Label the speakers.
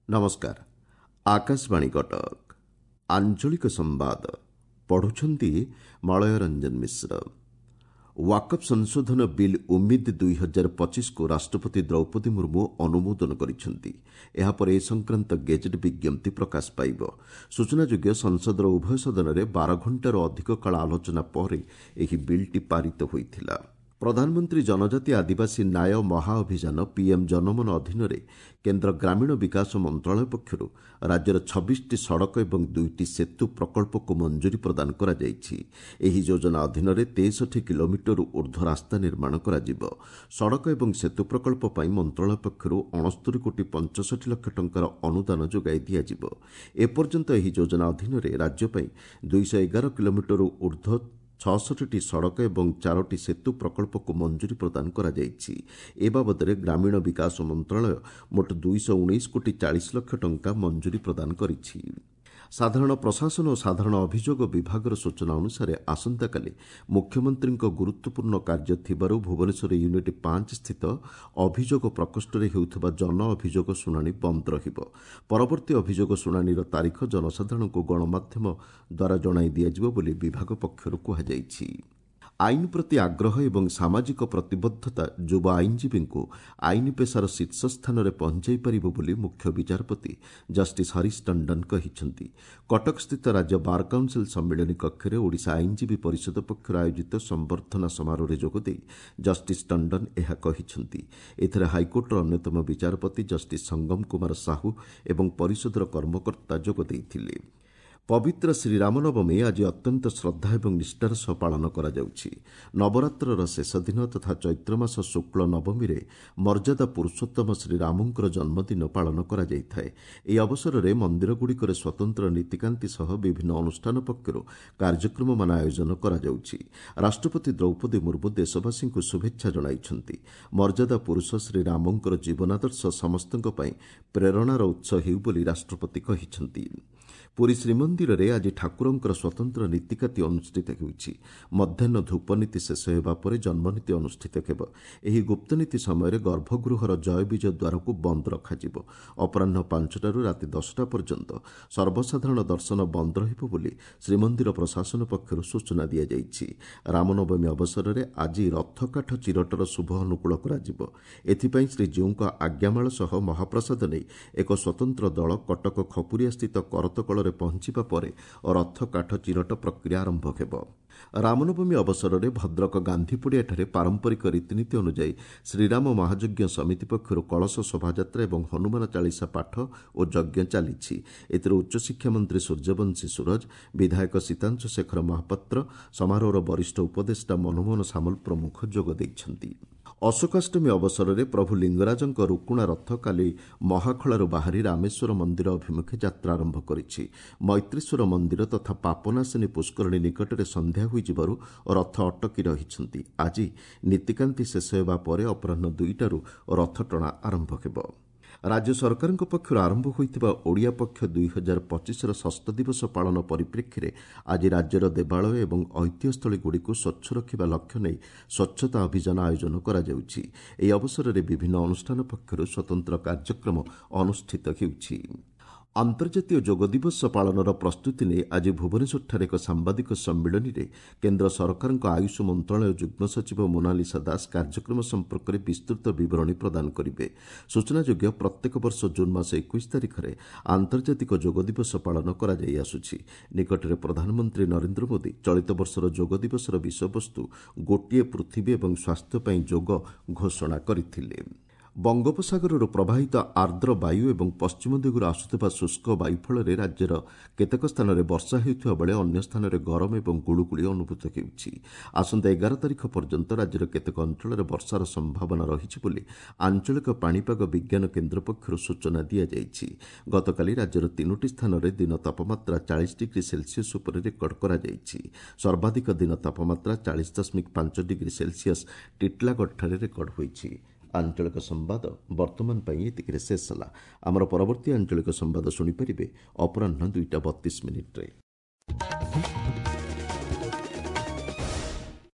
Speaker 1: ନମସ୍କାର, ଆକାଶବାଣୀ କଟକ। ଆଞ୍ଚଳିକ ସମ୍ବାଦ ପଢୁଛନ୍ତି ମଳୟ ରଞ୍ଜନ ମିଶ୍ର। ୱାକଫ୍ ସଂଶୋଧନ ବିଲ୍ ଉମିଦ 2025କୁ ରାଷ୍ଟ୍ରପତି ଦ୍ରୌପଦୀ ମୁର୍ମୁ ଅନୁମୋଦନ କରିଛନ୍ତି। ଏହାପରେ ଏ ସଂକ୍ରାନ୍ତ ଗେଜେଟ୍ ବିଜ୍ଞପ୍ତି ପ୍ରକାଶ ପାଇବ। ସୂଚନାଯୋଗ୍ୟ, ସଂସଦର ଉଭୟ ସଦନରେ 12 ଘଣ୍ଟାରୁ ଅଧିକ କାଳ ଆଲୋଚନା ପରେ ଏହି ବିଲ୍ଟି ପାରିତ ହୋଇଥିଲା। ପ୍ରଧାନମନ୍ତ୍ରୀ ଜନଜାତି ଆଦିବାସୀ ନ୍ୟାୟ ମହାଅଭିଯାନ ପିଏମ୍ ଜନମନ ଅଧୀନରେ କେନ୍ଦ୍ର ଗ୍ରାମୀଣ ବିକାଶ ମନ୍ତ୍ରଣାଳୟ ପକ୍ଷରୁ ରାଜ୍ୟର 26ଟି ସଡ଼କ ଏବଂ 2ଟି ସେତୁ ପ୍ରକଳ୍ପକୁ ମଞ୍ଜୁରୀ ପ୍ରଦାନ କରାଯାଇଛି। ଏହି ଯୋଜନା ଅଧୀନରେ 63 କିଲୋମିଟରରୁ ଉର୍ଦ୍ଧ୍ୱ ରାସ୍ତା ନିର୍ମାଣ କରାଯିବ। ସଡ଼କ ଏବଂ ସେତୁ ପ୍ରକଳ୍ପ ପାଇଁ ମନ୍ତ୍ରଣାଳୟ ପକ୍ଷରୁ 69 କୋଟି 65 ଲକ୍ଷ ଟଙ୍କାର ଅନୁଦାନ ଯୋଗାଇ ଦିଆଯିବ। ଏପର୍ଯ୍ୟନ୍ତ ଏହି ଯୋଜନା ଅଧୀନରେ ରାଜ୍ୟ ପାଇଁ 211 କିଲୋମିଟରରୁ ଉର୍ଦ୍ଧ୍ୱ 66ଟି ସଡ଼କ ଏବଂ 4ଟି ସେତୁ ପ୍ରକଳ୍ପକୁ ମଞ୍ଜୁରୀ ପ୍ରଦାନ କରାଯାଇଛି। ଏ ବାବଦରେ ଗ୍ରାମୀଣ ବିକାଶ ମନ୍ତ୍ରଣାଳୟ ମୋଟ 219 କୋଟି 40 ଲକ୍ଷ ଟଙ୍କା ମଞ୍ଜୁରୀ ପ୍ରଦାନ କରିଛି। ସାଧାରଣ ପ୍ରଶାସନ ଓ ସାଧାରଣ ଅଭିଯୋଗ ବିଭାଗର ସୂଚନା ଅନୁସାରେ, ଆସନ୍ତାକାଲି ମୁଖ୍ୟମନ୍ତ୍ରୀଙ୍କ ଗୁରୁତ୍ୱପୂର୍ଣ୍ଣ କାର୍ଯ୍ୟ ଥିବାରୁ ଭୁବନେଶ୍ୱର ୟୁନିଟ୍ 5 ସ୍ଥିତ ଅଭିଯୋଗ ପ୍ରକୋଷ୍ଠରେ ହେଉଥିବା ଜନ ଅଭିଯୋଗ ଶୁଣାଣି ବନ୍ଦ ରହିବ। ପରବର୍ତ୍ତୀ ଅଭିଯୋଗ ଶୁଣାଣିର ତାରିଖ ଜନସାଧାରଣଙ୍କୁ ଗଣମାଧ୍ୟମ ଦ୍ୱାରା ଜଣାଇ ଦିଆଯିବ ବୋଲି ବିଭାଗ ପକ୍ଷରୁ କୁହାଯାଇଛି। ଆଇନ ପ୍ରତି ଆଗ୍ରହ ଏବଂ ସାମାଜିକ ପ୍ରତିବଦ୍ଧତା ଯୁବ ଆଇନଜୀବୀଙ୍କୁ ଆଇନ ପେସାର ଶୀର୍ଷ ସ୍ଥାନରେ ପହଞ୍ଚାଇ ପାରିବ ବୋଲି ମୁଖ୍ୟ ବିଚାରପତି ଜଷ୍ଟିସ୍ ହରିଶ ଟଣ୍ଡନ କହିଛନ୍ତି। କଟକସ୍ଥିତ ରାଜ୍ୟ ବାର୍ କାଉନ୍ସିଲ୍ ସମ୍ମିଳନୀ କକ୍ଷରେ ଓଡ଼ିଶା ଆଇନଜୀବୀ ପରିଷଦ ପକ୍ଷରୁ ଆୟୋଜିତ ସମ୍ବର୍ଦ୍ଧନା ସମାରୋହରେ ଯୋଗଦେଇ ଜଷ୍ଟିସ୍ ଟଣ୍ଡନ ଏହା କହିଛନ୍ତି। ଏଥିରେ ହାଇକୋର୍ଟର ଅନ୍ୟତମ ବିଚାରପତି ଜଷ୍ଟିସ୍ ସଙ୍ଗମ କୁମାର ସାହୁ ଏବଂ ପରିଷଦର କର୍ମକର୍ତ୍ତା ଯୋଗ ଦେଇଥିଲେ। ପବିତ୍ର ଶ୍ରୀରାମନବମୀ ଆଜି ଅତ୍ୟନ୍ତ ଶ୍ରଦ୍ଧା ଏବଂ ନିଷ୍ଠାର ସହ ପାଳନ କରାଯାଉଛି। ନବରାତ୍ରର ଶେଷ ଦିନ ତଥା ଚୈତ୍ରମାସ ଶୁକ୍ଳ ନବମୀରେ ମର୍ଯ୍ୟାଦା ପୁରୁଷୋତ୍ତମ ଶ୍ରୀରାମଙ୍କର ଜନ୍ମଦିନ ପାଳନ କରାଯାଇଥାଏ। ଏହି ଅବସରରେ ମନ୍ଦିରଗୁଡ଼ିକରେ ସ୍ୱତନ୍ତ୍ର ନୀତିକାନ୍ତି ସହ ବିଭିନ୍ନ ଅନୁଷ୍ଠାନ ପକ୍ଷରୁ କାର୍ଯ୍ୟକ୍ରମମାନ ଆୟୋଜନ କରାଯାଉଛି। ରାଷ୍ଟ୍ରପତି ଦ୍ରୌପଦୀ ମୁର୍ମୁ ଦେଶବାସୀଙ୍କୁ ଶୁଭେଚ୍ଛା ଜଣାଇଛନ୍ତି। ମର୍ଯ୍ୟାଦା ପୁରୁଷ ଶ୍ରୀରାମଙ୍କର ଜୀବନାଦର୍ଶ ସମସ୍ତଙ୍କ ପାଇଁ ପ୍ରେରଣାର ଉତ୍ସ ହେଉ ବୋଲି ରାଷ୍ଟ୍ରପତି କହିଛନ୍ତି। ପୁରୀ ଶ୍ରୀମନ୍ଦିରରେ ଆଜି ଠାକୁରଙ୍କର ସ୍ୱତନ୍ତ୍ର ନୀତିକାନ୍ତି ଅନୁଷ୍ଠିତ ହେଉଛି। ମଧ୍ୟାହ୍ନ ଧୂପନୀତି ଶେଷ ହେବା ପରେ ଜନ୍ମନୀତି ଅନୁଷ୍ଠିତ ହେବ। ଏହି ଗୁପ୍ତନୀତି ସମୟରେ ଗର୍ଭଗୃହର ଜୟ ବିଜୟ ଦ୍ୱାରକୁ ବନ୍ଦ ରଖାଯିବ। ଅପରାହ୍ନ 5ଟାରୁ ରାତି 10ଟା ପର୍ଯ୍ୟନ୍ତ ସର୍ବସାଧାରଣ ଦର୍ଶନ ବନ୍ଦ ରହିବ ବୋଲି ଶ୍ରୀମନ୍ଦିର ପ୍ରଶାସନ ପକ୍ଷରୁ ସୂଚନା ଦିଆଯାଇଛି। ରାମନବମୀ ଅବସରରେ ଆଜି ରଥକାଠ ଚିରଟର ଶୁଭ ଅନୁକୂଳ କରାଯିବ। ଏଥିପାଇଁ ଶ୍ରୀଜୀଉଙ୍କ ଆଜ୍ଞାମାଳ ସହ ମହାପ୍ରସାଦ ନେଇ ଏକ ସ୍ୱତନ୍ତ୍ର ଦଳ କଟକ ଖପୁରିଆସ୍ଥିତ କରତକଳରେ ପହଞ୍ଚିବା ପରେ ରଥ କାଠ ଚିରଟ ପ୍ରକ୍ରିୟା ଆରମ୍ଭ ହେବ। ରାମନବମୀ ଅବସରରେ ଭଦ୍ରକ ଗାନ୍ଧୀପଡ଼ିଆଠାରେ ପାରମ୍ପରିକ ରୀତିନୀତି ଅନୁଯାୟୀ ଶ୍ରୀରାମ ମହାଯଜ୍ଞ ସମିତି ପକ୍ଷରୁ କଳସ ଶୋଭାଯାତ୍ରା ଏବଂ ହନୁମାନ ଚାଳିଶା ପାଠ ଓ ଯଜ୍ଞ ଚାଲିଛି। ଏଥିରେ ଉଚ୍ଚଶିକ୍ଷା ମନ୍ତ୍ରୀ ସୂର୍ଯ୍ୟବଂଶୀ ସୂରଜ, ବିଧାୟକ ସୀତାଂଶୁ ଶେଖର ମହାପାତ୍ର, ସମାରୋହର ବରିଷ୍ଠ ଉପଦେଷ୍ଟା ମନମୋହନ ସାମଲ ପ୍ରମୁଖ ଯୋଗ ଦେଇଛନ୍ତି। ଅଶୋକାଷ୍ଟମୀ ଅବସରରେ ପ୍ରଭୁ ଲିଙ୍ଗରାଜଙ୍କ ରୁକୁଣା ରଥ କାଲି ମହାଖଳାରୁ ବାହାରି ରାମେଶ୍ୱର ମନ୍ଦିର ଅଭିମୁଖେ ଯାତ୍ରା ଆରମ୍ଭ କରିଛି। ମୈତ୍ରୀଶ୍ୱର ମନ୍ଦିର ତଥା ପାପନାଶିନୀ ପୁଷ୍କରିଣୀ ନିକଟରେ ସନ୍ଧ୍ୟା ହୋଇଯିବାରୁ ରଥ ଅଟକି ରହିଛନ୍ତି। ଆଜି ନୀତିକାନ୍ତି ଶେଷ ହେବା ପରେ ଅପରାହ୍ନ 2ଟାରୁ ରଥଟଣା ଆରମ୍ଭ ହେବ। ରାଜ୍ୟ ସରକାରଙ୍କ ପକ୍ଷରୁ ଆରମ୍ଭ ହୋଇଥିବା ଓଡ଼ିଆ ପକ୍ଷ 2025ର ଷଷ୍ଠ ଦିବସ ପାଳନ ପରିପ୍ରେକ୍ଷୀରେ ଆଜି ରାଜ୍ୟର ଦେବାଳୟ ଏବଂ ଐତିହ୍ୟସ୍ଥଳୀଗୁଡ଼ିକୁ ସ୍ୱଚ୍ଛ ରଖିବା ଲକ୍ଷ୍ୟ ନେଇ ସ୍ୱଚ୍ଛତା ଅଭିଯାନ ଆୟୋଜନ କରାଯାଉଛି। ଏହି ଅବସରରେ ବିଭିନ୍ନ ଅନୁଷ୍ଠାନ ପକ୍ଷରୁ ସ୍ୱତନ୍ତ୍ର କାର୍ଯ୍ୟକ୍ରମ ଅନୁଷ୍ଠିତ ହେଉଛି। ଆନ୍ତର୍ଜାତୀୟ ଯୋଗ ଦିବସ ପାଳନର ପ୍ରସ୍ତୁତି ନେଇ ଆଜି ଭୁବନେଶ୍ୱରଠାରେ ଏକ ସାମ୍ବାଦିକ ସମ୍ମିଳନୀରେ କେନ୍ଦ୍ର ସରକାରଙ୍କ ଆୟୁଷ ମନ୍ତ୍ରଣାଳୟ ଯୁଗ୍ମ ସଚିବ ମୋନାଲିସା ଦାସ କାର୍ଯ୍ୟକ୍ରମ ସମ୍ପର୍କରେ ବିସ୍ତୃତ ବିବରଣୀ ପ୍ରଦାନ କରିବେ। ସୂଚନାଯୋଗ୍ୟ, ପ୍ରତ୍ୟେକ ବର୍ଷ ଜୁନ୍ ମାସ 21 ତାରିଖରେ ଆନ୍ତର୍ଜାତିକ ଯୋଗ ଦିବସ ପାଳନ କରାଯାଇ ଆସୁଛି। ନିକଟରେ ପ୍ରଧାନମନ୍ତ୍ରୀ ନରେନ୍ଦ୍ର ମୋଦି ଚଳିତ ବର୍ଷର ଯୋଗ ଦିବସର ବିଷୟବସ୍ତୁ ଗୋଟିଏ ପୃଥିବୀ ଏବଂ ସ୍ୱାସ୍ଥ୍ୟ ପାଇଁ ଯୋଗ ଘୋଷଣା କରିଥିଲେ। ବଙ୍ଗୋପସାଗରରୁ ପ୍ରବାହିତ ଆର୍ଦ୍ର ବାୟୁ ଏବଂ ପଶ୍ଚିମ ଦିଗରୁ ଆସୁଥିବା ଶୁଷ୍କ ବାୟୁ ଫଳରେ ରାଜ୍ୟର କେତେକ ସ୍ଥାନରେ ବର୍ଷା ହେଉଥିବା ବେଳେ ଅନ୍ୟ ସ୍ଥାନରେ ଗରମ ଏବଂ ଗୁଳୁଗୁଳି ଅନୁଭୂତ ହେଉଛି। ଆସନ୍ତା 11 ତାରିଖ ପର୍ଯ୍ୟନ୍ତ ରାଜ୍ୟର କେତେକ ଅଞ୍ଚଳରେ ବର୍ଷାର ସମ୍ଭାବନା ରହିଛି ବୋଲି ଆଞ୍ଚଳିକ ପାଣିପାଗ ବିଜ୍ଞାନ କେନ୍ଦ୍ର ପକ୍ଷରୁ ସୂଚନା ଦିଆଯାଇଛି। ଗତକାଲି ରାଜ୍ୟର 3ଟି ସ୍ଥାନରେ ଦିନ ତାପମାତ୍ରା 40 ଡିଗ୍ରୀ ସେଲସିୟସ୍ ଉପରେ ରେକର୍ଡ କରାଯାଇଛି। ସର୍ବାଧିକ ଦିନ ତାପମାତ୍ରା 40.5 ଡିଗ୍ରୀ ସେଲସିୟସ୍ ଟିଟଲାଗଡ଼ଠାରେ ରେକର୍ଡ ହୋଇଛି। ଆଞ୍ଚଳିକ ସମ୍ବାଦ ବର୍ତ୍ତମାନ ପାଇଁ ଏତିକିରେ ଶେଷ ହେଲା। ଆମର ପରବର୍ତ୍ତୀ ଆଞ୍ଚଳିକ ସମ୍ବାଦ ଶୁଣିପାରିବେ ଅପରାହ୍ନ 2ଟା 32 ମିନିଟ୍ରେ।